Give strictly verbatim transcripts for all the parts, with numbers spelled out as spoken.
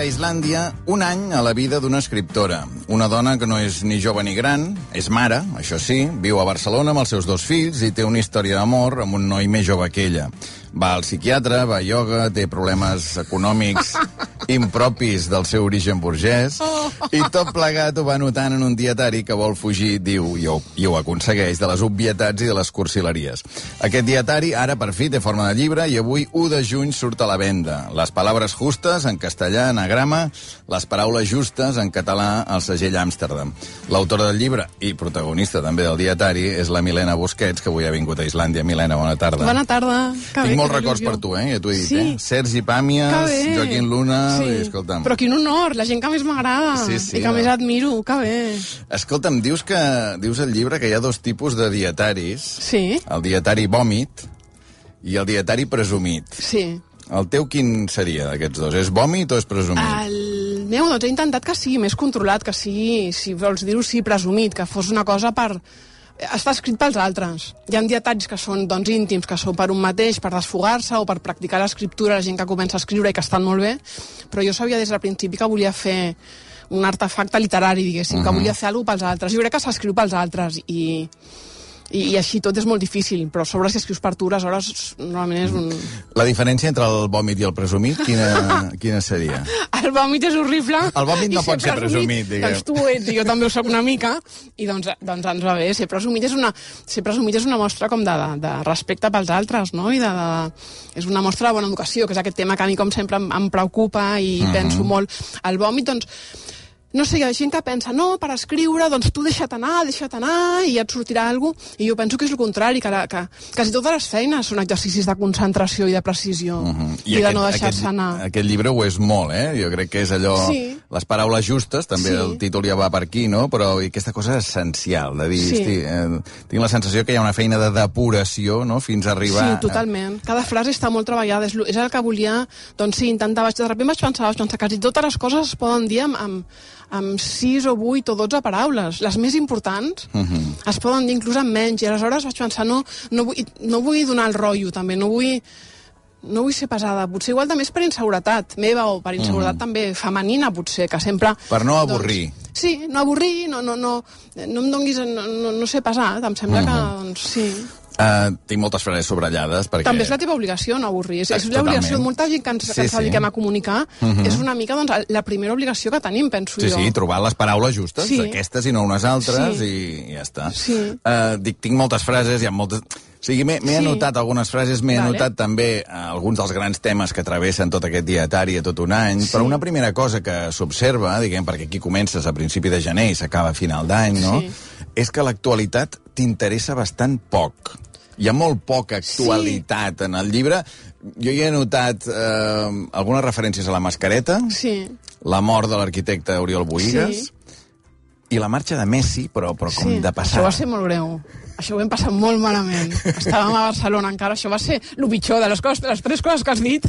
Islàndia un any a la vida d'una escriptora. Una dona que no és ni jove ni gran, és mare, això sí, viu a Barcelona amb els seus dos fills i té una història d'amor amb un noi més jove que ella. Va al psiquiatre, va a ioga, té problemes econòmics impropis del seu origen burgès i tot plegat ho va notant en un dietari que vol fugir, diu, i ho, i ho aconsegueix, de les obvietats i de les cursileries. Aquest dietari ara per fi té forma de llibre i avui u de juny surt a la venda. Les paraules justes en castellà, anagrama, les paraules justes en català al segell Amsterdam. L'autora del llibre i protagonista també del dietari és la Milena Busquets, que avui ha vingut a Islàndia. Milena, bona tarda. Bona tarda. Que Tinc bé, molts records per tu, eh? Ja t'ho he dit, sí. eh? Sergi Pàmies, Joaquín Luna... Sí. I, escolta'm... Però quin honor, la gent que més m'agrada sí, sí, i que no. més admiro, que bé. Escolta'm, dius que dius al llibre que hi ha dos tipus de dietaris. Sí. El dietari vòmit i el dietari presumit. Sí. El teu quin seria d'aquests dos? És vòmit o és presumit? El meu, doncs he intentat que sigui més controlat, que sigui, si vols dir-ho, sí, presumit, que fos una cosa per... Està escrit pels altres. Hi ha dietaris que són doncs, íntims, que són per un mateix, per desfogar-se o per practicar l'escriptura, la gent que comença a escriure i que estan molt bé, però jo sabia des del principi que volia fer un artefacte literari, diguéssim, uh-huh. que volia fer alguna cosa pels altres. Jo crec que s'escriu pels altres i... I, i així tot és molt difícil, però sobre si escrius per tu, aleshores normalment és un... La diferència entre el vòmit i el presumit, quina, quina seria? El vòmit és horrible. El vòmit no pot ser presumit, diguem. Doncs tu ho ets i jo també ho soc una mica, i doncs, doncs ens va bé. Ser presumit és una, ser presumit és una mostra com de, de, de respecte pels altres, no? I de, de, és una mostra de bona educació, que és aquest tema que a mi com sempre em, em preocupa i uh-huh. penso molt. El vòmit, doncs... No sé, hi ha gent que pensa, no, per escriure, doncs tu deixa't anar, deixa't anar, i ja et sortirà alguna cosa. I jo penso que és el contrari, que, la, que quasi totes les feines són exercicis de concentració i de precisió, uh-huh. I, i aquest, de no deixar-se anar. Aquest llibre ho és molt, eh? Jo crec que és allò... Sí. Les paraules justes, també sí. El títol ja va per aquí, no? Però aquesta cosa és essencial, de dir, sí. Hosti, eh, tinc la sensació que hi ha una feina de depuració, no?, fins a arribar... Sí, totalment. Cada frase està molt treballada, és, és el que volia, doncs sí, intentava... De sobte vaig pensar, vaig pensar que quasi totes les coses es poden dir amb, amb, amb sis o vuit o dotze paraules. Les més importants uh-huh. es poden dir inclús amb menys, i aleshores vaig pensar, no, no, vull, no vull donar el rotllo, també, no vull... No vull ser pesada, potser igual també és per inseguretat meva o per inseguretat mm. també femenina, potser, que sempre... Per no avorrir. Doncs, sí, no avorrir, no, no, no, no em donguis... No, no, no ser pesat, em sembla mm-hmm. que, doncs, sí... Uh, tinc moltes frases subratllades perquè... També és la teva obligació no avorrir. És, és l'obligació de molta gent que ens, sí, que ens sí. dediquem a comunicar. Uh-huh. És una mica doncs, la primera obligació que tenim, penso sí, jo. Sí, sí, trobar les paraules justes, sí. Aquestes i no unes altres, sí. I ja està. Sí. Uh, dic, tinc moltes frases, hi ha moltes... O sigui, m'he sí. anotat algunes frases, m'he vale. anotat també uh, alguns dels grans temes que travessen tot aquest dietari a tot un any, sí. Però una primera cosa que s'observa, diguem, perquè aquí comences a principi de gener i s'acaba a final d'any, no? Sí. És que l'actualitat t'interessa bastant poc. Hi ha molt poca actualitat sí. en el llibre. Jo hi he notat eh, algunes referències a la mascareta, sí. la mort de l'arquitecte Oriol Bohigas sí. i la marxa de Messi, però, però com sí. de passada. Això va ser molt greu. Això ho hem passat molt malament. Estàvem a Barcelona encara, això va ser el pitjor de les, coses, de les tres coses que has dit.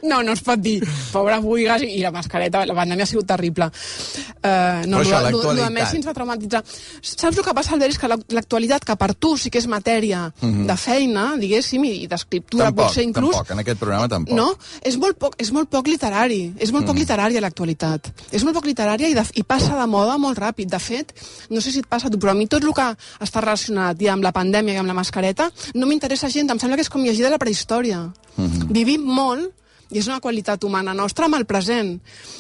No, no es pot dir. Pobre Bohigas i la mascareta, la pandèmia ha sigut terrible. Uh, no, Però això, lo, l'actualitat... Lo de Messi ens va traumatitzar. Saps el que passa, Albert? És que l'actualitat, que per tu sí que és matèria mm-hmm. de feina, diguéssim, i d'escriptura, tampoc, potser inclús... Tampoc, en aquest programa tampoc. No? És molt poc, és molt poc literari. És molt mm. poc literària l'actualitat. És molt poc literària i, de, i passa de moda molt ràpid. De fet, no sé si et passa a tu, però a mi tot el que està relacionat ja amb la pandèmia i amb la mascareta no m'interessa gens. Em sembla que és com llegir de la prehistòria. Mm-hmm. Vivim molt i és una qualitat humana nostra amb el present.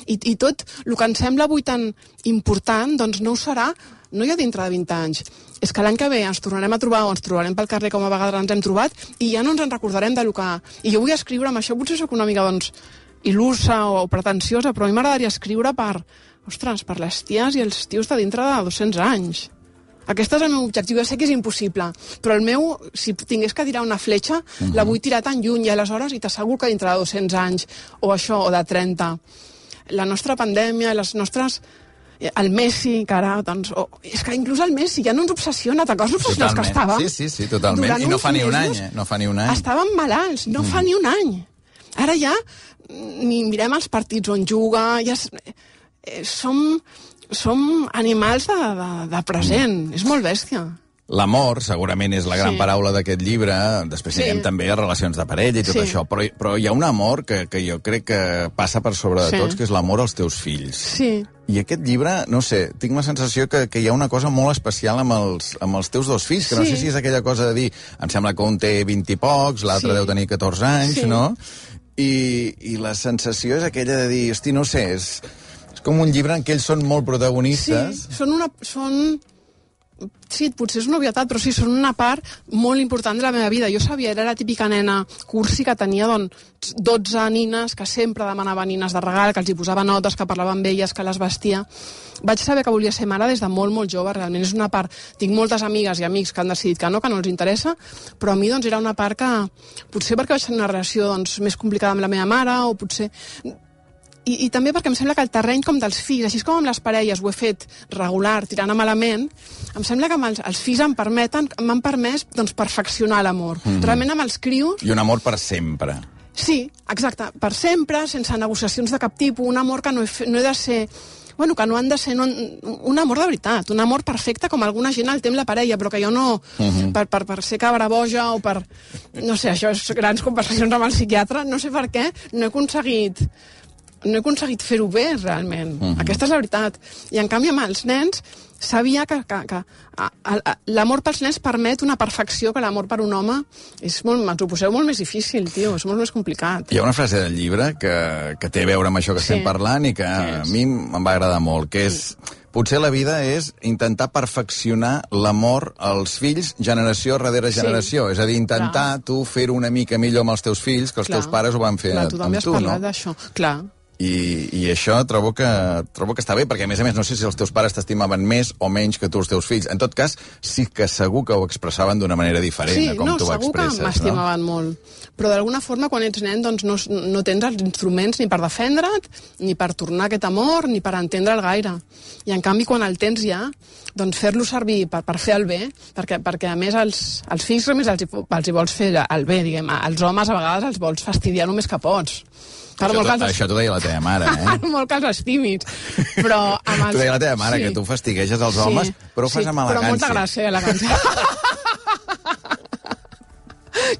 I, i tot el que ens sembla avui tan important, doncs no ho serà no ja dintre de vint anys. És que l'any que ve ens tornarem a trobar o ens trobarem pel carrer com a vegades ens hem trobat i ja no ens en recordarem de lo que... I jo vull escriure amb això, potser soc una mica, doncs, il·lusa o pretensiosa, però a mi m'agradaria escriure per... Ostres, per les ties i els tios de dintre de dos-cents anys. Aquest és el meu objectiu. Jo sé que és impossible, però el meu, si tingués que tirar una fletxa, uh-huh. la vull tirar tan lluny i aleshores i t'asseguro que dintre de dos-cents anys, o això, o de trenta, la nostra pandèmia, les nostres... El Messi, que ara, doncs... Oh, és que inclús el Messi ja no ens obsessiona, te coses obsessionats que estàvem? Sí, sí, sí, totalment. I no fa ni un any, eh? No fa ni un any. Estàvem malalts, no mm. fa ni un any. Ara ja ni mirem els partits on juga, ja... Eh, som... som animals de, de, de present. Mm. És molt bèstia. L'amor, segurament, és la gran Sí. paraula d'aquest llibre. Després Sí. anirem també a relacions de parella i tot Sí. això. Però, però hi ha un amor que, que jo crec que passa per sobre de Sí. tots, que és l'amor als teus fills. Sí. I aquest llibre, no sé, tinc la sensació que, que hi ha una cosa molt especial amb els, amb els teus dos fills, que no Sí. sé si és aquella cosa de dir, em sembla que un té vint i pocs, l'altre Sí. deu tenir catorze anys, Sí. no? I, I la sensació és aquella de dir, hosti, no sé, és, és com un llibre en què ells són molt Sí, protagonistes. són una... Són... Sí, potser és una obvietat, però sí, són una part molt important de la meva vida. Jo sabia, era la típica nena cursi que tenia doncs, dotze nines, que sempre demanava nines de regal, que els hi posava notes, que parlava amb elles, que les vestia. Vaig saber que volia ser mare des de molt, molt jove, realment és una part... Tinc moltes amigues i amics que han decidit que no, que no els interessa, però a mi doncs, era una part que... Potser perquè vaig tenir una relació doncs, més complicada amb la meva mare, o potser... I, I també perquè em sembla que el terreny com dels fills, així com amb les parelles ho he fet regular, tirant a malament, em sembla que amb els, els fills em permeten, m'han permès doncs, perfeccionar l'amor. Mm-hmm. Realment amb els crios... I un amor per sempre. Sí, exacte, per sempre, sense negociacions de cap tipus, un amor que no he, fe, no he de ser... Bueno, que no han de ser no, un amor de veritat, un amor perfecte com alguna gent el té amb la parella, però que jo no, uh-huh. per, per, per ser cabra boja o per... No sé, això és grans conversacions amb el psiquiatre, no sé per què, no he aconseguit... no he aconseguit fer-ho bé, realment. Uh-huh. Aquesta és la veritat. I, en canvi, amb els nens, sabia que, que, que a, a, l'amor pels nens permet una perfecció que l'amor per un home és molt, ens ho poseu molt més difícil, tio, és molt més complicat. Hi ha una frase del llibre que, que té a veure amb això que Sí. estem parlant i que a mi em va agradar molt, que és... Potser la vida és intentar perfeccionar l'amor als fills generació darrere Sí. generació. És a dir, intentar Clar. tu fer-ho una mica millor amb els teus fills que els Clar. teus pares ho van fer Clar, amb tu també has tu, no? parlat d'això. Clar. I, I això trobo que, trobo que està bé, perquè a més a més no sé si els teus pares t'estimaven més o menys que tu els teus fills. En tot cas, sí que segur que ho expressaven d'una manera diferent Sí, a com no, tu ho segur que expresses. m'estimaven no? molt. Però d'alguna forma, quan ets nen, doncs no, no tens els instruments ni per defendre't, ni per tornar aquest amor, ni per entendre'l gaire. I en canvi, quan el tens ja, doncs fer-lo servir per, per fer el bé, perquè, perquè a més els, els fills només els, hi- els hi vols fer el bé, diguem. Els homes a vegades els vols fastidiar només que pots. Per Això, molt que t'ho- els- això t'ho deia la teva mare, eh? Per molt que els estimis. Però amb els... T'ho deia la teva mare, Sí. que tu fastigueges els homes, però ho fas amb Però molta elegància. gràcia, i elegància.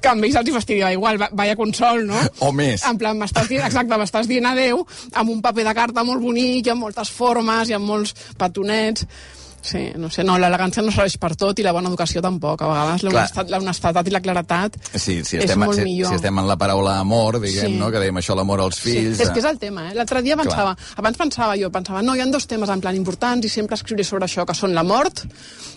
Que amb ells els hi fastidia igual, va- vaya consol, no? O més. En plan, m'estàs dient, exacte, m'estàs dient adeu amb un paper de carta molt bonic, i amb moltes formes, i amb molts petonets. Sí, no sé, no, l'elegància no serveix per tot i la bona educació tampoc. A vegades l'honestedat l'honestedat i la claretat Sí, si és estem, molt si, millor. si estem en la paraula amor, diguem, Sí. no? Que dèiem això, l'amor als fills... Sí, és que és el tema, eh? L'altre dia pensava, abans pensava jo, pensava, no, hi ha dos temes en plan importants i sempre escriuré sobre això, que són la mort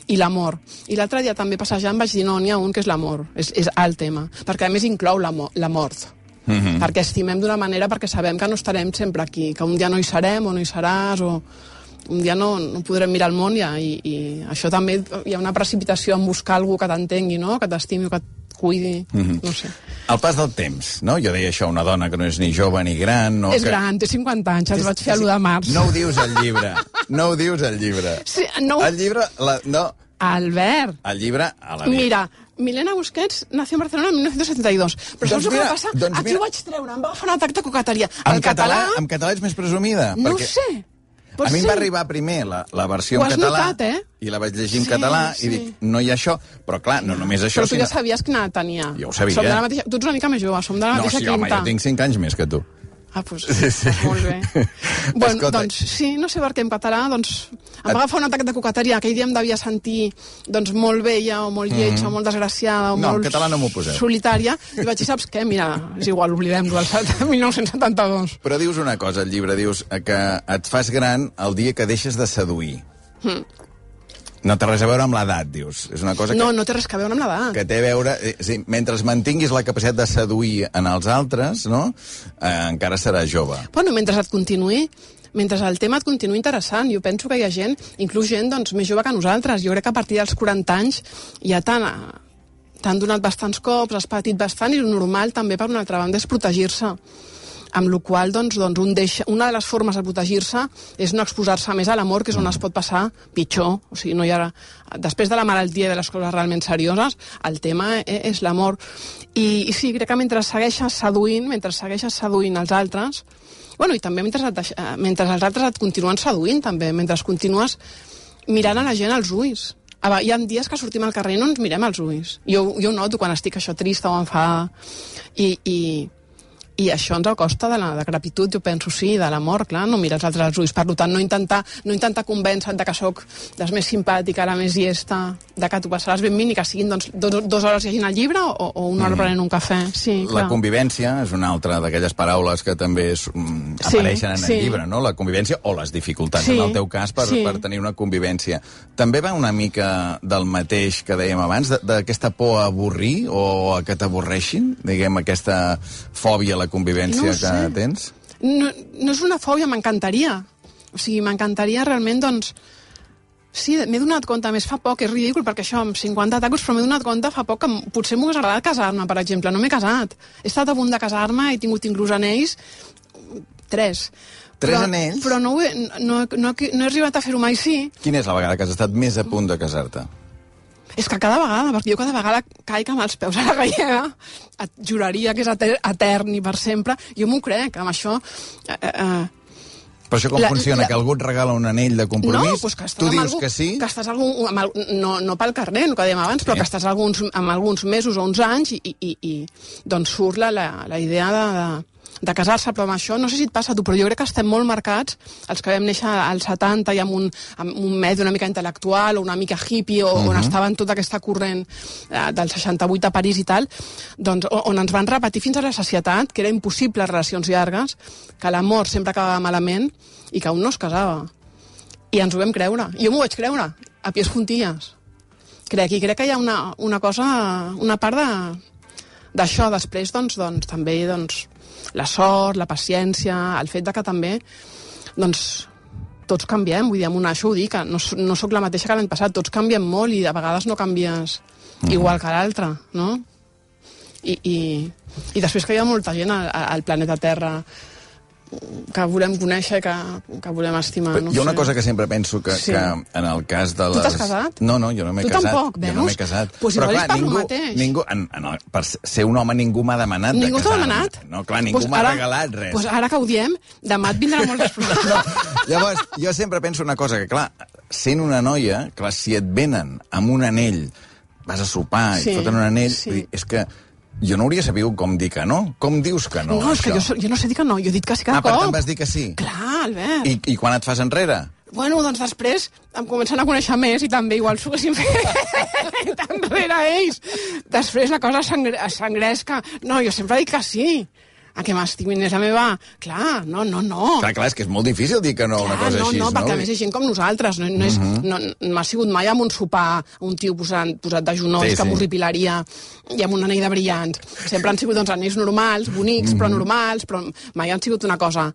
i l'amor. I l'altre dia també passejant vaig dir, no, n'hi ha un que és l'amor, és, és el tema, perquè a més inclou la, mo la mort. Mm-hmm. Perquè estimem d'una manera, perquè sabem que no estarem sempre aquí, que un dia no hi serem o no hi seràs, o un dia no, no podrem mirar el món ja, i, i això també hi ha una precipitació en buscar algú que t'entengui, no? Que t'estimi o que et cuidi, mm-hmm. no sé. El pas del temps, no? Jo deia això, una dona que no és ni jove ni gran... No, És que... gran, té cinquanta anys, els vaig fer a l'u de març. No ho dius al llibre, no ho dius al llibre. Sí, no... El llibre... La, no, Albert, el llibre... A la mira, Milena Busquets nació en Barcelona en mil nou-cents setanta dos. Però Doncs saps el que mira, va passar? doncs Aquí mira. ho vaig treure, em va agafar un atac de coqueteria. En El català, en català ets més presumida. No perquè ho sé. Pot a mi em ser. va arribar primer la, la versió Ho en has català notat, eh? i la vaig llegir en Sí, català sí. i dic, no hi ha això. Però clar, no només això, Però tu sinó... ja sabies quina edat tenia. Jo ho sabia. Som de la mateixa... Tu ets una mica més jove, som de la No, mateixa sí, home, quinta. jo tinc cinc anys més que tu. Ah, doncs, Sí, sí. molt bé. Bueno, Escolta. doncs sí, no sé per què en català, doncs, em va agafar un atac de coqueteria. Aquell dia em devia sentir, doncs, molt vella o molt lletja mm-hmm. o molt desgraciada o No, en molt català no m'ho poseu. solitària. I vaig dir, saps què? Mira, és igual, oblidem-ho, del mil nou-cents setanta-dos. Però dius una cosa al llibre, dius que et fas gran el dia que deixes de seduir. Mm. No té res a veure amb l'edat, dius. És una cosa que... No, no té res a veure amb l'edat. que té a veure... Eh, sí, mentre mantinguis la capacitat de seduir en els altres, no? Eh, encara seràs jove. Bueno, mentre et continuï, mentre el tema et continuï interessant, jo penso que hi ha gent, inclús gent doncs, més jove que nosaltres. Jo crec que a partir dels quaranta anys ja t'han t'han donat bastants cops, has patit bastant, i el normal també, per una altra banda, és protegir-se. Amb la qual doncs, doncs un deixa, una de les formes de protegir-se és no exposar-se més a l'amor, que és on es pot passar pitjor. O sigui, no hi ha... Després de la malaltia i de les coses realment serioses, el tema és l'amor. I, I sí, crec que mentre segueixes seduint, mentre segueixes seduint els altres, bueno, i també mentre, et deix... mentre els altres et continuen seduint, també, mentre continues mirant a la gent als ulls. Hi ha dies que sortim al carrer i no ens mirem als ulls. Jo, jo ho noto quan estic això trista o enfadada. I, i, i això ens acosta de la decrepitud, jo penso, sí, de la mort, clar, no mirar els altres als ulls. Per tant, no intentar, no intentar convèncer de que sóc la més simpàtica, la més llesta, de que tu passaràs ben vint i que siguin doncs, dos, dues hores llegint el llibre o, o una hora mm. prenent un cafè. Sí, la clar. Convivència és una altra d'aquelles paraules que també és, mm, sí, apareixen en sí. el llibre, no? La convivència o les dificultats, sí. en el teu cas, per, sí. per tenir una convivència. També va una mica del mateix que dèiem abans, d'aquesta por a avorrir o a que t'avorreixin, diguem, aquesta fòbia a la convivència no que tens? No, no és una fòbia, m'encantaria. O sigui, m'encantaria realment, doncs... Sí, m'he donat compte, més fa poc, és ridícul, perquè això, amb cinquanta tacos, però m'he donat compte fa poc que potser m'ho hagués agradat casar-me, per exemple. No m'he casat. He estat a punt de casar-me, he tingut inclús anells, tres. Tres però, anells? Però no, he, no, no, no he arribat a fer-ho mai, sí. Quina és la vegada que has estat més a punt de casar-te? És que cada vegada, perquè jo cada vegada caic amb els peus a la gallega, et juraria que és etern i per sempre, jo m'ho crec, amb això... Eh, eh, Però això com la, funciona? La... Que algú et regala un anell de compromís? No, doncs que tu dius algú, que sí? Que estàs algun, amb el, no, no pel carrer, el que dèiem abans, però sí. que estàs alguns, amb alguns mesos o uns anys i, i, i doncs surt la, la, la idea de... de de casar-se, però amb això, no sé si et passa a tu, però jo crec que estem molt marcats, els que vam néixer als setanta i amb un, amb un medi una mica intel·lectual o una mica hippie, o, uh -huh. on estava en tota aquesta corrent eh, del seixanta-vuit a París i tal, doncs on ens van repetir fins a la sacietat que era impossible relacions llargues, que l'amor sempre acabava malament i que un no es casava. I ens ho vam creure. I jo m'ho vaig creure, a pies juntilles. Crec, i crec que hi ha una, una cosa, una part de d'això. Després, doncs, doncs també, doncs, la sort, la paciència, el fet de que també, doncs, tots canviem, vull dir, amb una, això ho dic, no, no sóc la mateixa que l'any passat, tots canviem molt i a vegades no canvies mm. igual que l'altre, no? I, i, i després que hi ha molta gent al, al planeta Terra que volem conèixer, que, que volem estimar. No hi ha una sé. cosa que sempre penso que, sí. que en el cas de les... Tu t'has casat? No, no, jo no m'he tu casat. Tu tampoc, veus? Jo no m'he casat. Pues però clar, per ningú, mateix. ningú en, en el, per ser un home ningú m'ha demanat ningú de casar-me. Ningú t'ha demanat? No, clar, ningú pues m'ha ara, regalat res. Pues ara que ho diem, demà et vindrà molt després. No, llavors, jo sempre penso una cosa, que clar, sent una noia, clar, si et venen amb un anell, vas a sopar i sí, et foten un anell, sí. vull dir, és que jo no hauria sabut com dir que no. Com dius que no, No, és això? que jo, jo no sé dir que no, jo he dit que sí cada ah, cop. Ah, per tant vas dir que sí? Clar, Albert. I, I quan et fas enrere? Bueno, doncs després em comencen a conèixer més i també igual s'ho haguessin fet enrere ells. Després la cosa s'engresca. No, jo sempre dic que sí. A que m'estimin és la meva... Clar, no, no, no. Clar, clar, és que és molt difícil dir que no, clar, una cosa no, així, no? No, perquè a més és gent com nosaltres. No, no, és, uh -huh. no, no ha sigut mai amb un sopar, un tio posat, posat de genolls sí, que sí. m'horripilaria i amb un anell de brillants. Sempre han sigut doncs, anells normals, bonics, uh -huh. però normals, però mai han sigut una cosa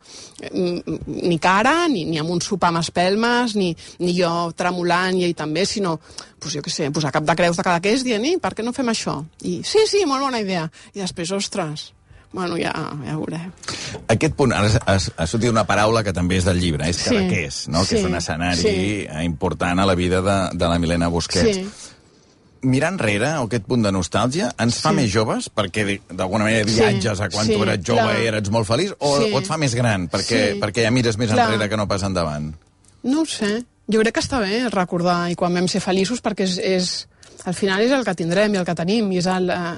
ni cara, ni, ni amb un sopar amb espelmes, ni, ni jo tremolant i ell també, sinó, pues, jo què sé, posar cap de creus de cada que és dient, i per què no fem això? I sí, sí, molt bona idea. I després, ostres... Bueno, ja, ja ho veurem. Aquest punt, ara ha sortit una paraula que també és del llibre, és Cadaqués, sí, no? Sí, que és un escenari sí. important a la vida de, de la Milena Busquets. Sí. Mirar enrere, aquest punt de nostàlgia, ens fa sí. més joves, perquè d'alguna manera viatges a quan sí, tu eres jove clar. i eres molt feliç, o, sí. o et fa més gran, perquè, sí. perquè ja mires més clar. enrere que no pas endavant? No ho sé. Jo crec que està bé recordar, i quan vam ser feliços, perquè és, és, al final és el que tindrem i el que tenim, i és el... Uh,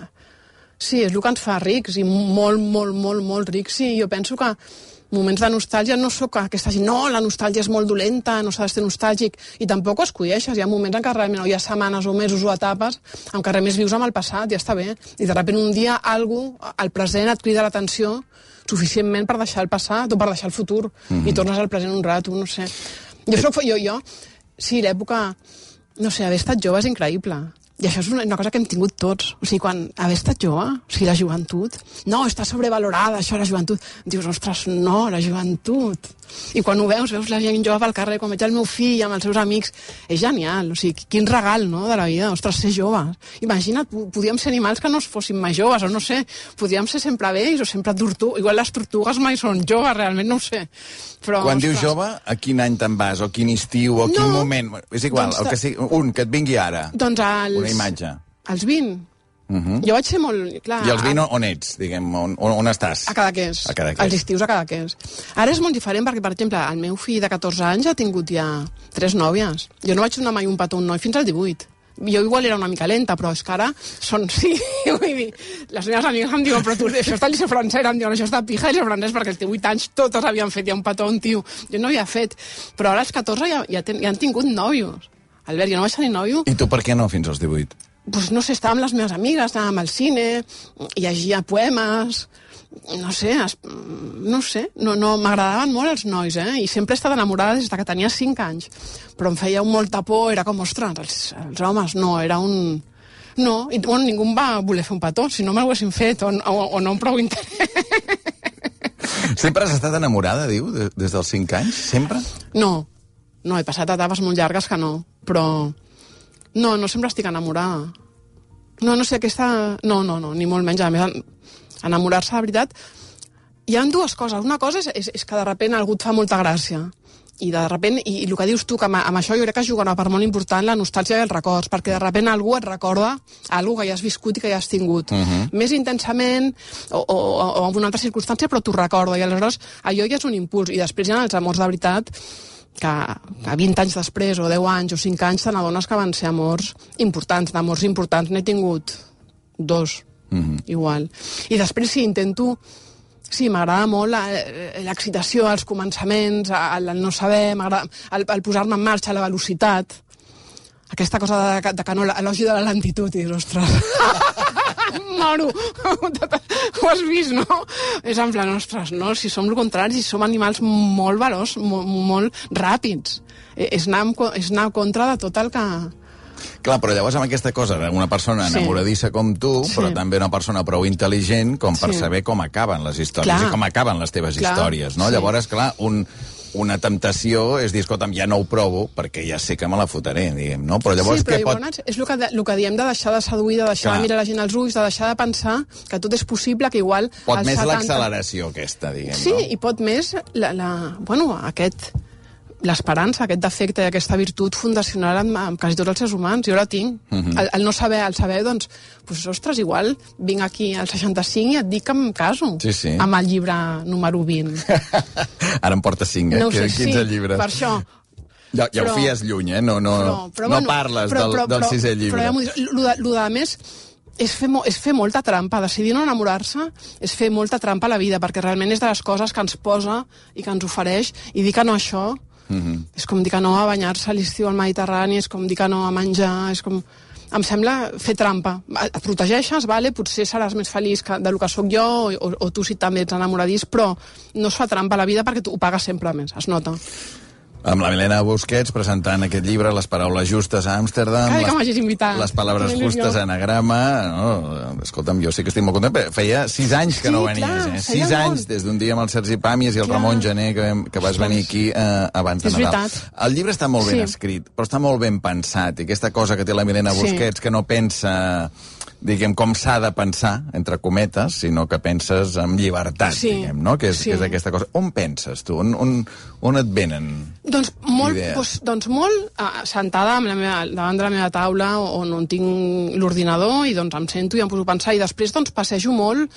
Sí, és el que ens fa rics, i molt, molt, molt, molt rics. Sí, jo penso que moments de nostàlgia no sóc aquesta gent, no, la nostàlgia és molt dolenta, no s'ha de ser nostàlgic, i tampoc ho escolleixes. Hi ha moments en què realment no hi ha setmanes o mesos o etapes en què realment vius amb el passat, ja està bé. I de sobte un dia algú, al present, et crida l'atenció suficientment per deixar el passat o per deixar el futur, mm -hmm. i tornes al present un rato, no sé. Jo soc... Jo, jo sí, l'època... No sé, haver estat jove és increïble. I això és una, una cosa que hem tingut tots. O sigui, quan haver estat jove, o sigui, la joventut... No, està sobrevalorada, això, la joventut. Dius, ostres, no, la joventut. I quan ho veus, veus la gent jove pel carrer, quan veig el meu fill amb els seus amics, és genial. O sigui, quin regal, no?, de la vida. Ostres, ser joves. Imagina't, podíem ser animals que no fossin mai joves, o no sé, podíem ser sempre vells o sempre tortugues. Igual les tortugues mai són joves, realment, no ho sé. Però, quan ostres, dius jove, a quin any te'n vas? O quin estiu? O quin no, moment? És igual, doncs, el que sigui, un, que et vingui ara. Doncs als... Una imatge. Als vint. Uh-huh. Jo vaig ser molt... Clar, I els vint on ets, diguem, on, on estàs? A Cadaqués. A Cadaqués. Els estius a Cadaqués. Ara és molt diferent perquè, per exemple, el meu fill de catorze anys ha tingut ja tres nòvies. Jo no vaig donar mai un petó a un noi fins al divuit. Jo igual era una mica lenta, però és que ara són... Sí, vull dir, les meves amigues em diuen, però tu, això està a l'Liceu Francès, em diuen, això està a pija a l'Liceu Francès, perquè els divuit anys totes havien fet ja un petó a un tio. Jo no havia fet, però ara als catorze ja, ja, ten, ja han tingut nòvios. Albert, jo no vaig tenir nòvio. I tu per què no fins als divuit? Pues no sé, estava amb les meves amigues, anàvem al cine, llegia poemes, no sé, es, no sé, no, no, m'agradaven molt els nois, eh? I sempre he estat enamorada des que tenia cinc anys. Però em feia un molta por, era com, ostres, els, els homes, no, era un... No, i bueno, ningú em va voler fer un petó, si no me'l haguessin fet, o, o, o no amb prou interès. Sempre has estat enamorada, diu, de, des dels cinc anys? Sempre? No, no, he passat etapes molt llargues que no, però... No, no sempre estic enamorada. No, no sé, aquesta... No, no, no, ni molt menys. A més, enamorar-se, de veritat... Hi ha dues coses. Una cosa és, és, és que de sobte algú et fa molta gràcia. I de sobte, i, i el que dius tu, que amb, amb això jo crec que juga una part molt important la nostàlgia i els records, perquè de sobte algú et recorda alguna que ja has viscut i que ja has tingut. Uh-huh. Més intensament o, o, o en una altra circumstància, però t'ho recorda. I aleshores allò ja és un impuls. I després hi ha els amors de veritat que, que vint anys després, o deu anys, o cinc anys, te n'adones que van ser amors importants, d'amors importants. N'he tingut dos, mm-hmm. igual. I després sí, intento... Sí, m'agrada molt l'excitació, els començaments, el, el no saber, el, el posar-me en marxa, la velocitat. Aquesta cosa de, de que no, l'elogi de la lentitud, i dius, ostres... Moro, ho has vist, no? És en plan, ostres, no? Si som el contrari, si som animals molt veloç, molt, molt ràpids. És anar, és anar contra de tot el que... Clar, però llavors amb aquesta cosa, una persona enamoradissa com tu, sí. però també una persona prou intel·ligent com per sí. saber com acaben les històries clar. I com acaben les teves clar. històries, no? Sí. Llavors, clar, un... una temptació és dir, escolta'm, ja no ho provo perquè ja sé que me la fotré, diguem, no? Però llavors sí, però què pot... Llavors, és el que, el que diem de deixar de seduir, de deixar Clar. de mirar la gent als ulls, de deixar de pensar que tot és possible, que igual... Pot més setanta... l'acceleració aquesta, diguem, sí, no? Sí, i pot més la, la, bueno, aquest... l'esperança, aquest defecte i aquesta virtut fundacional amb, amb quasi tots els éssers humans. Jo la tinc. Uh-huh. el, el no saber, el saber, doncs, pues, ostres, igual vinc aquí al seixanta-cinc i et dic que em caso sí, sí. amb el llibre número vint. Ara em porta cinc, eh? No sé, quinze sí, llibres. Per això. Ja, ja però, ho fies lluny, eh? No, no, però, però, no bueno, parles però, però, del, del sisè llibre. Però ja el de, de més és fer, és fer molta trampa. Decidir no enamorar-se és fer molta trampa a la vida, perquè realment és de les coses que ens posa i que ens ofereix, i dir que no a això mm-hmm. és com dir que no a banyar-se a l'estiu al Mediterrani, és com dir que no a menjar, és com... Em sembla fer trampa. Et protegeixes, vale? Potser seràs més feliç que, del que sóc jo, o, o tu si també ets enamoradís, però no es fa trampa a la vida perquè tu ho pagues sempre més, es nota. Amb la Milena Busquets presentant aquest llibre, Les paraules justes a Amsterdam, Ai, les, les paraules justes a Anagrama. No, escolta'm, jo sí que estic molt content, feia sis anys que sí, no venies, clar, eh? Sis anys, des d'un dia amb el Sergi Pàmies i el clar. Ramon Gené, que, que vas venir aquí eh, abans de Nadal. El llibre està molt ben sí. escrit, però està molt ben pensat, i aquesta cosa que té la Milena sí. Busquets, que no pensa... diguem, com s'ha de pensar, entre cometes, sinó que penses amb llibertat, sí, diguem, no? Que és, sí. que és aquesta cosa. On penses, tu? On, on, on et venen doncs molt, idees? Doncs, doncs molt uh, sentada amb la meva, davant de la meva taula, on, on tinc l'ordinador, i doncs em sento i em poso a pensar, i després doncs passejo molt,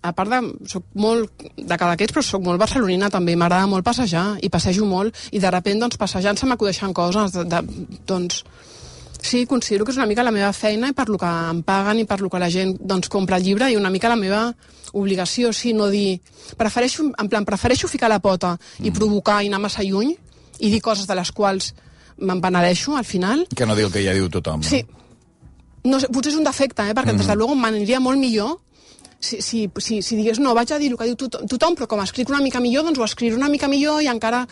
a part de... Soc molt de Cadaqués, però soc molt barcelonina també, m'agrada molt passejar, i passejo molt, i de sobte, doncs, passejant se m'acudeixen coses, de, de, doncs... Sí, considero que és una mica la meva feina i per lo que em paguen i per lo que la gent doncs, compra el llibre, i una mica la meva obligació, sí, no dir... Prefereixo, en plan, prefereixo ficar la pota i provocar i anar massa lluny i dir coses de les quals me'n penedeixo al final. Que no diu el que ja diu tothom. No? Sí. No sé, potser és un defecte, eh? Perquè mm. des de luego m'aniria molt millor si, si, si, si digués, no, vaig a dir el que diu tothom, tothom, però com escric una mica millor, doncs ho escriuré una mica millor i encara...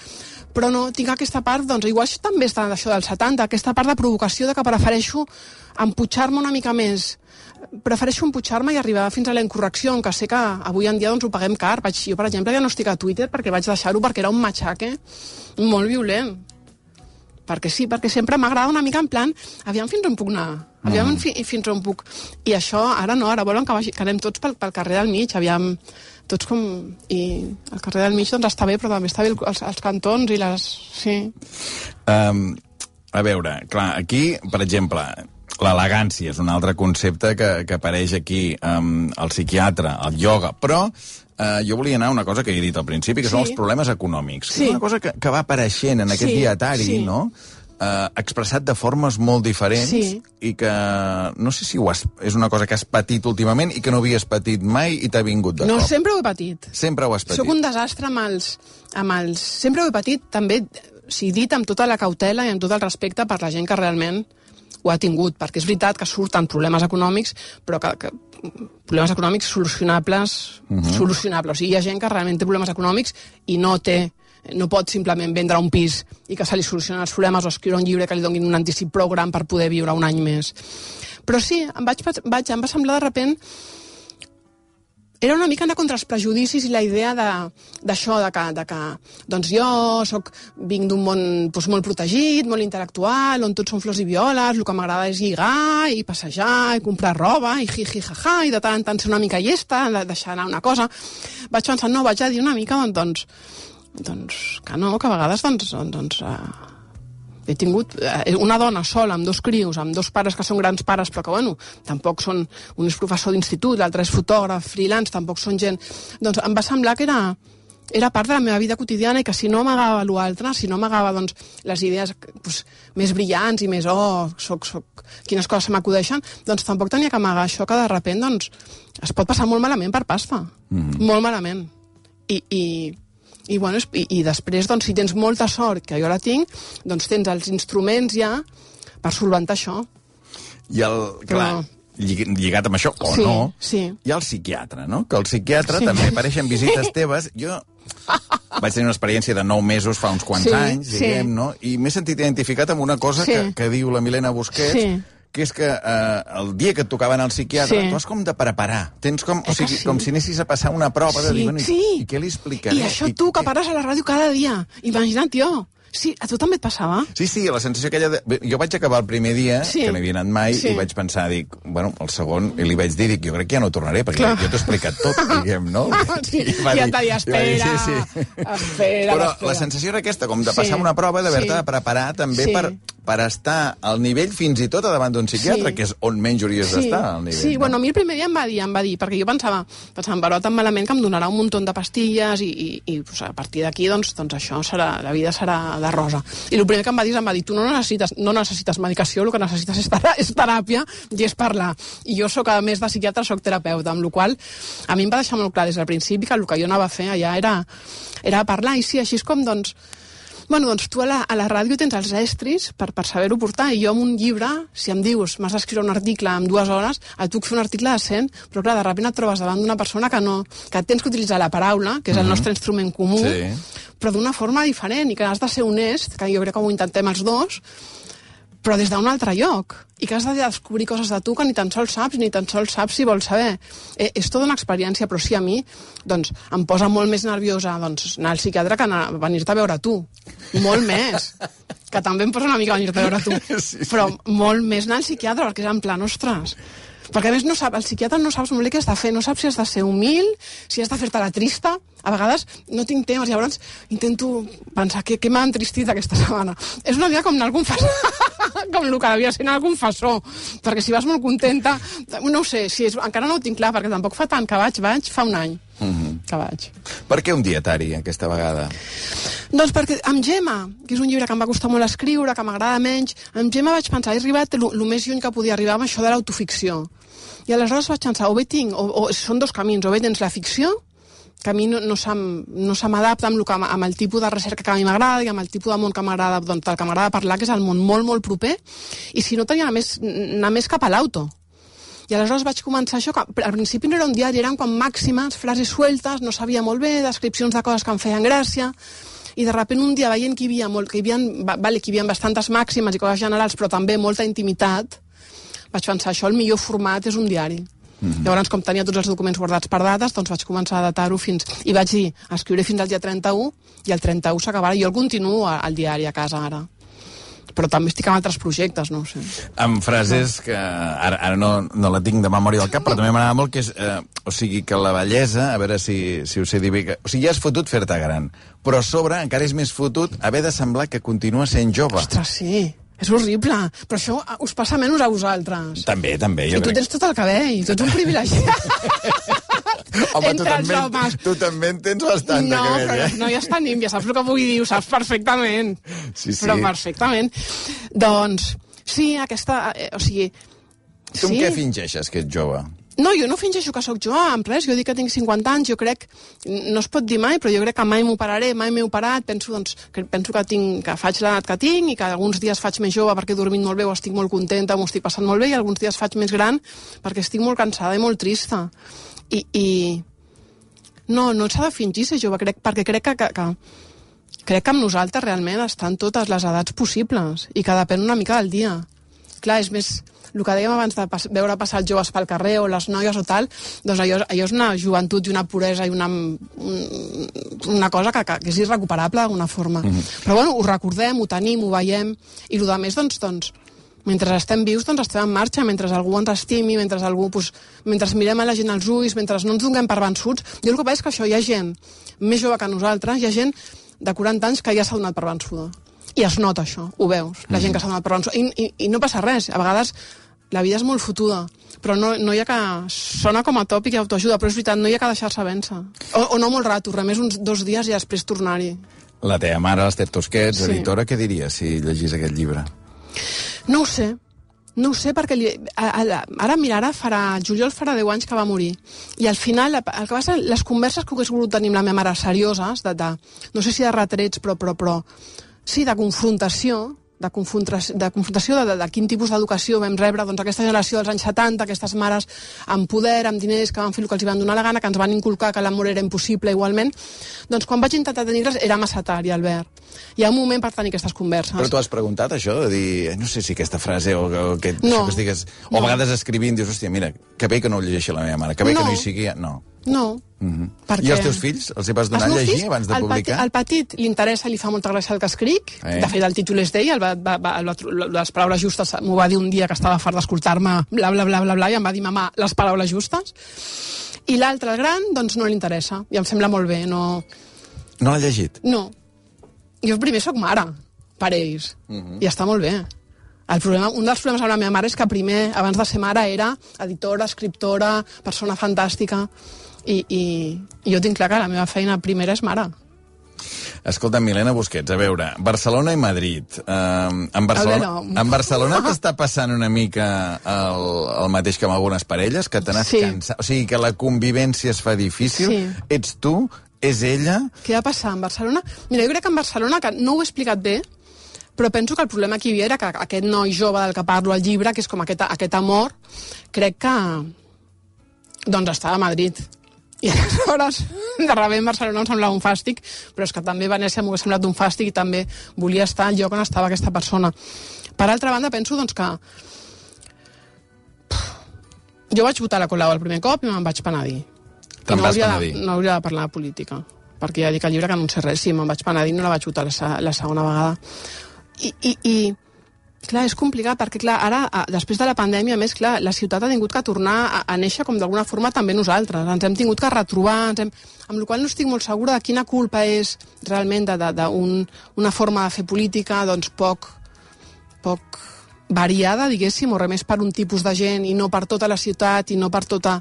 Però no, tinc aquesta part, doncs igual també està d'això del setanta, aquesta part de provocació de que prefereixo empujar-me una mica més. Prefereixo empujar-me i arribar fins a la incorrecció, que sé que avui en dia doncs, ho paguem car. Vaig, jo, per exemple, ja no estic a Twitter perquè vaig deixar-ho perquè era un matxaque molt violent. Perquè sí, perquè sempre m'agrada una mica en plan, aviam fins on puc anar, aviam mm. fi, fins on puc... I això, ara no, ara volen que, vagi, que anem tots pel, pel carrer del mig, aviam... Tots com... I el carrer del mig doncs està bé, però també està bé els, els cantons i les... Sí. Um, a veure, clar, aquí, per exemple, l'elegància és un altre concepte que, que apareix aquí, um, el psiquiatre, el ioga, però uh, jo volia anar a una cosa que he dit al principi, que sí. són els problemes econòmics. Sí. És una cosa que, que va apareixent en aquest sí. dietari, sí. no?, Uh, expressat de formes molt diferents sí. i que no sé si ho has, és una cosa que has patit últimament i que no havies patit mai i t'ha vingut de no, cop. No, sempre ho he patit. Sempre ho has patit. Soc un desastre amb els, amb els... Sempre ho he patit, també, si dit amb tota la cautela i amb tot el respecte per la gent que realment ho ha tingut, perquè és veritat que surten problemes econòmics, però que, que problemes econòmics solucionables, uh-huh. solucionables. O sigui, hi ha gent que realment té problemes econòmics i no té no pot simplement vendre un pis i que se li solucionen els problemes o escriure un llibre que li donin un anticip prou gran per poder viure un any més. Però sí, em, vaig, vaig, em va semblar de repent... Era una mica anar contra els prejudicis i la idea d'això, de, de, que, de que doncs jo soc, vinc d'un món doncs, molt protegit, molt intel·lectual, on tots són flors i violes, el que m'agrada és lligar i passejar i comprar roba i ji-ji-ja-ja i de tant en tant ser una mica llesta, deixar anar una cosa. Vaig pensar, no, vaig a dir una mica, doncs... doncs que no, que a vegades doncs, doncs, uh, he tingut uh, una dona sola amb dos crios, amb dos pares que són grans pares però que bueno, tampoc són un és professor d'institut, l'altre és fotògraf freelance, tampoc són gent, doncs em va semblar que era, era part de la meva vida quotidiana i que si no m'agava l'altre, si no m'agava doncs, les idees doncs, més brillants i més oh, soc, soc, quines coses se m'acudeixen, doncs tampoc tenia que amagar això que de repent doncs, es pot passar molt malament per pasta, mm. molt malament i, i I, bueno, i, i després, doncs, si tens molta sort, que jo la tinc, doncs tens els instruments ja per solventar això. I el, clar, Però... lligat amb això, o sí, no, sí. hi ha el psiquiatre, no? Que el psiquiatre sí. també apareix en visites teves. Jo vaig tenir una experiència de nou mesos fa uns quants sí, anys, diguem, sí. no? I m'he sentit identificat amb una cosa sí. que, que diu la Milena Busquets, sí. que és que eh, el dia que et tocava anar al psiquiatre, sí. tu has com de preparar. Tens com, o sigui, sí. com si anessis a passar una prova sí, de dir, bueno, sí. i, i què li explicaré? I això tu, que pares a la ràdio cada dia. Imagina't, tio. Sí, a tu també et passava? Sí, sí, la sensació aquella de... Jo vaig acabar el primer dia, sí. que no havia anat mai, sí. i vaig pensar, dic, bueno, el segon, i li vaig dir, dic, jo crec que ja no tornaré, perquè Clar. jo t'he explicat tot, diguem, no? Sí, I ja dir, t'ha dit, espera, sí, sí. espera, Però espera. la sensació era aquesta, com de passar sí. una prova, d'haver-te sí. de preparar també sí. per, per estar al nivell fins i tot a davant d'un psiquiatre, sí. que és on menys hauries sí. d'estar, al nivell. Sí, no? bueno, a mi el primer dia em va dir, em va dir, perquè jo pensava, pensava, em veurà tan malament que em donarà un munt de pastilles i, i, i pues, a partir d'aquí, doncs, doncs això serà, la vida serà de rosa. I el primer que em va dir, em va dir, tu no necessites, no necessites medicació, el que necessites és, terà és teràpia i és parlar. I jo sóc, a més de psiquiatre, sóc terapeuta, amb la qual a mi em va deixar molt clar des del principi que el que jo anava a fer allà era, era parlar. I sí, així és com, doncs, bueno, doncs tu a la, a la ràdio tens els estris per, per saber-ho portar, i jo amb un llibre, si em dius, m'has d'escriure un article en dues hores, et puc fer un article de cent, però clar, de sobte et trobes davant d'una persona que no, que tens que utilitzar la paraula, que és el nostre instrument comú, sí. però d'una forma diferent, i que has de ser honest, que jo crec que ho intentem els dos, però des d'un altre lloc, i que has de descobrir coses de tu que ni tan sols saps, ni tan sols saps si vols saber. Eh, és tota una experiència, però sí, a mi doncs, em posa molt més nerviosa doncs, anar al psiquiatre que anar, venir-te a veure tu. Molt més. Que també em posa una mica venir-te a veure tu. Sí, sí. Però molt més anar al psiquiatre, perquè és en plan, ostres... Perquè, a més, no sap, el psiquiatre no saps molt bé què has de fer, no saps si has de ser humil, si has de fer-te la trista. A vegades no tinc temps, llavors intento pensar què, què m'ha entristit aquesta setmana. És una mica com anar al confessor, com el que devia ser anar al confessor, perquè si vas molt contenta, no ho sé, si és, encara no ho tinc clar, perquè tampoc fa tant que vaig, vaig fa un any mm-hmm. que vaig. Per què un dietari, aquesta vegada? Doncs perquè amb Gemma, que és un llibre que em va costar molt escriure, que m'agrada menys, amb Gemma vaig pensar, he arribat el més lluny que podia arribar amb això de l'autoficció. I aleshores vaig pensar, o bé tinc, o, o són dos camins, o bé tens la ficció, que a mi no, no se m'adapta amb, amb, amb el tipus de recerca que a mi m'agrada i amb el tipus de món que m'agrada, doncs el que m'agrada parlar, que és el món molt, molt proper, i si no tenia anar més, anar més cap a l'auto. I aleshores vaig començar això, que al principi no era un diari, eren com màximes, frases sueltes, no sabia molt bé, descripcions de coses que em feien gràcia, i de sobte un dia veient que hi havia, molt, que hi havia, vale, que hi havia bastantes màximes i coses generals, però també molta intimitat, vaig pensar, això el millor format és un diari. Mm-hmm. Llavors, com tenia tots els documents guardats per dates, doncs vaig començar a datar-ho fins... I vaig dir, escriuré fins al dia trenta-u, i el trenta-u s'acabarà. Jo el continuo al diari a casa ara. Però també estic amb altres projectes, no ho sé. Amb frases que ara, ara no, no la tinc de memòria del cap, però també m'agrada molt, que és... Eh, o sigui, que la bellesa, a veure si, si ho sé dir bé... Que, o sigui, ja és fotut fer-te gran, però a sobre encara és més fotut haver de semblar que continua sent jove. Ostres, sí. És horrible. Però això us passa menys a vosaltres. També, també. I tu crec... tens tot el cabell, tu ets un privilegiat. Home, tu també, tu també en tens bastant no, de cabell, però, eh? No, ja està nim, ja saps el que vull dir, ho saps perfectament. Sí, sí. Però perfectament. Doncs, sí, aquesta... Eh, o sigui... Tu sí. Amb què fingeixes, que ets jove? No, jo no fingeixo que sóc jove, en res, jo dic que tinc cinquanta anys, jo crec, no es pot dir mai, però jo crec que mai m'operaré, mai m'he operat, penso, doncs, que, penso que, tinc, que faig l'edat que tinc i que alguns dies faig més jove perquè he dormit molt bé o estic molt contenta, m'ho estic passant molt bé, i alguns dies faig més gran perquè estic molt cansada i molt trista. I, i... no, no s'ha de fingir ser jove, crec, perquè crec que, que, que, crec que amb nosaltres realment estan totes les edats possibles i que depèn una mica del dia. Clar, és més... El que dèiem abans de pas, veure passar els joves pel carrer o les noies o tal, doncs allò, allò és una joventut i una puresa i una, una cosa que, que és irrecuperable d'alguna forma. Mm-hmm. Però bueno, ho recordem, ho tenim, ho veiem, i el més, doncs, doncs, mentre estem vius, doncs estem en marxa, mentre algú ens estimi, mentre algú, doncs, mentre mirem a la gent als ulls, mentre no ens donem per vençuts. Jo el que veig és que això, hi ha gent més jove que nosaltres, hi ha gent de quaranta anys que ja s'ha donat per vençuda. I es nota això, ho veus, la gent que s'ha donat per vençuda. I, i, i no passa res, a vegades la vida és molt fotuda, però no, no hi ha que... Sona com a tòpic i autoajuda, però és veritat, no hi ha que deixar-se vèncer. O, o no molt rato, res més uns dos dies i després tornar-hi. La teva mare, l'Ester Tosquets, sí. editora, què diria si llegís aquest llibre? No ho sé. No ho sé, perquè li, a, a, ara, mira, ara farà, juliol farà deu anys que va morir. I al final, el que passa, les converses que hagués volgut tenir amb la meva mare serioses, de, de, no sé si de retrets, però, però, però sí, de confrontació, de confrontació, de, confrontació de, de, de quin tipus d'educació vam rebre, doncs aquesta generació dels anys setanta, aquestes mares amb poder, amb diners, que van fer el que els van donar la gana, que ens van inculcar que l'amor era impossible igualment, doncs quan vaig intentar tenir-les era massa tard, i Albert. Hi ha un moment per tenir aquestes converses. Però tu has preguntat això, de dir, no sé si aquesta frase o, o que, no, que estigues... O no. A vegades escrivint dius, hòstia, mira, que bé que no ho llegeixi la meva mare, que bé no. que no hi sigui... No. No. Mm-hmm. Perquè... I els teus fills? Els hi vas donar a llegir fills, abans de el publicar? Petit, el petit li interessa, li fa molta gràcia el que escric. Eh? De fet, el títol és d'ell, el va, va, va, les paraules justes m'ho va dir un dia que estava fart d'escoltar-me bla, bla, bla, bla, bla, i em va dir, mamà, les paraules justes. I l'altre, el gran, doncs no li interessa. I em sembla molt bé, no... No l'ha llegit? No. Jo primer sóc mare, per ells. Mm-hmm. I està molt bé. El problema, un dels problemes amb la meva mare és que primer, abans de ser mare, era editora, escriptora, persona fantàstica, i, i, i jo tinc clar que la meva feina primera és mare. Escolta, Milena Busquets, a veure, Barcelona i Madrid. Uh, en Barcelona, no. en Barcelona t'està passant una mica el, el mateix que amb algunes parelles, que te n'has sí. cansat? O sigui, que la convivència es fa difícil? Sí. Ets tu? És ella? Què va passar en Barcelona? Mira, jo crec que en Barcelona, que no ho he explicat bé, però penso que el problema que hi havia era que aquest noi jove del que parlo al llibre, que és com aquest, aquest amor, crec que doncs estava a Madrid. I aleshores, de rebé en Barcelona em semblava un fàstic, però és que també Venècia m'ho ha semblat un fàstic i també volia estar al lloc on estava aquesta persona. Per altra banda, penso doncs que jo vaig votar a la Colau el primer cop i me'n vaig penedir. Te'n no vas hauria penedir? De, no hauria de parlar de política, perquè ja dic al llibre que no en sé res, sí, me'n vaig penedir, no la vaig votar la, la segona vegada. I, i, i clar, és complicat, perquè clar, ara, després de la pandèmia, a més, clar, la ciutat ha tingut que tornar a, a néixer com d'alguna forma també nosaltres. Ens hem tingut que retrobar, ens hem... amb la qual cosa no estic molt segura de quina culpa és realment d'una un, forma de fer política, doncs poc, poc variada, diguéssim, o res més per un tipus de gent i no per tota la ciutat i no per tota,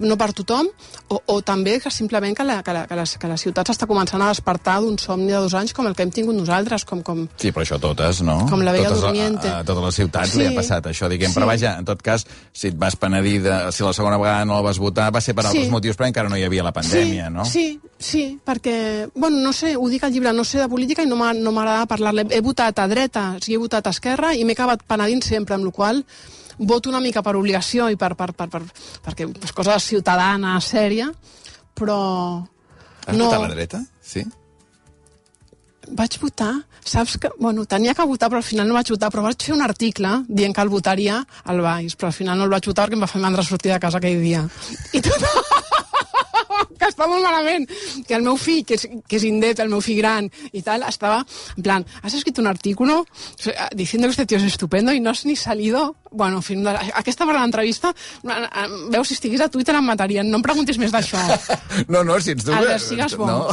no per tothom, o, o també que simplement que la, que la, que la, que la ciutat s'està començant a despertar d'un somni de dos anys com el que hem tingut nosaltres, com... com sí, però això totes, no? Com la Bella totes, Durmiente. A, a totes les ciutats sí, li ha passat això, diguem, sí. Però vaja, en tot cas, si et vas penedir, de, si la segona vegada no la vas votar, va ser per altres sí. motius, però encara no hi havia la pandèmia, sí, no? Sí, sí, perquè, bueno, no sé, ho dic al llibre, no sé de política i no m'agrada parlar-ne. He votat a dreta, o sigui, he votat a esquerra i m'he acabat penedint sempre, amb la qual voto una mica per obligació i per, per, per, per, perquè és cosa ciutadana, sèria, però... Has no... votat a la dreta? Sí? Vaig votar, saps que... Bueno, tenia que votar, però al final no vaig votar, però vaig fer un article dient que el votaria al Baix, però al final no el vaig votar perquè em va fer mandra sortir de casa aquell dia. I tot... que està molt malament, que el meu fill, que és, que és indet, el meu fill gran i tal, estava en plan, has escrit un artículo diciendo que este tío es estupendo y no has ni salido, bueno, en fi, aquesta part de l'entrevista, veus, si estigués a Twitter em matarien, no em preguntis més d'això. No, no, si ets tu... Albert, sigues bo. No.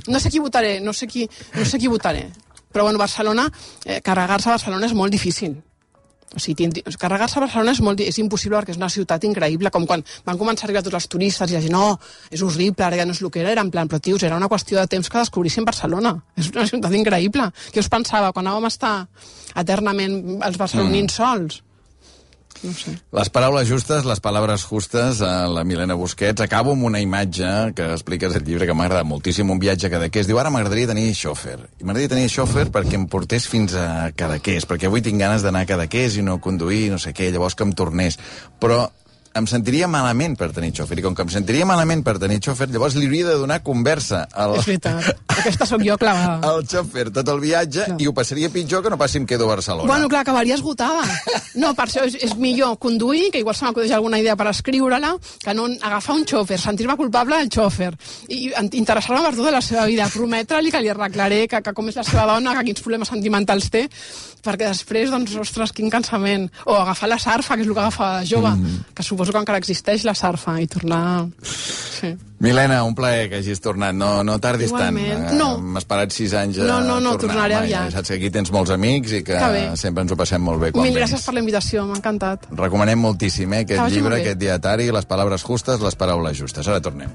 No sé qui votaré, no sé qui, no sé qui votaré. Però, bueno, Barcelona, eh, carregar-se a Barcelona és molt difícil. O sigui, carregar-se a Barcelona és, molt, és impossible perquè és una ciutat increïble, com quan van començar a arribar tots els turistes i la gent, no, és horrible, ara ja no és el que era, era en plan, però tios, era una qüestió de temps que descobrissin Barcelona. És una ciutat increïble. Què us pensava quan anàvem a estar eternament els barcelonins mm. sols? No sé. Les paraules justes, les paraules justes, a la Milena Busquets. Acabo amb una imatge que expliques al llibre que m'ha agradat moltíssim, un viatge a Cadaqués. Diu, ara m'agradaria tenir xòfer. I m'agradaria tenir xòfer perquè em portés fins a Cadaqués, perquè avui tinc ganes d'anar a Cadaqués i no conduir, no sé què, llavors que em tornés. Però em sentiria malament per tenir xòfer, i com que em sentiria malament per tenir xòfer, llavors li hauria de donar conversa al... És veritat, aquesta sóc jo clavada. Al xòfer tot el viatge, no. I ho passaria pitjor que no passi em quedo a Barcelona. Bueno, clar, acabaria esgotada. No, per això és, és millor conduir, que igual se m'acudeix alguna idea per escriure-la, que no agafar un xòfer, sentir-me culpable del xòfer, i interessar-me per tota la seva vida, prometre-li que li arreglaré, que, que com és la seva dona, que quins problemes sentimentals té, perquè després, doncs, ostres, quin cansament. O agafar la sarfa, que és el que agafava de jove, mm. que suposo que encara existeix la sarfa, i tornar... Sí. Milena, un plaer que hagis tornat. No, no tardis Igualment. tant. No. M'has esperat sis anys a no, no, no, tornar. Tornaré aviat. Saps que aquí tens molts amics i que, que sempre ens ho passem molt bé quan Mil vens. gràcies per la invitació, m'ha encantat. Recomanem moltíssim, eh, aquest Estava llibre, aquest dietari, les paraules justes, les paraules justes. Ara tornem.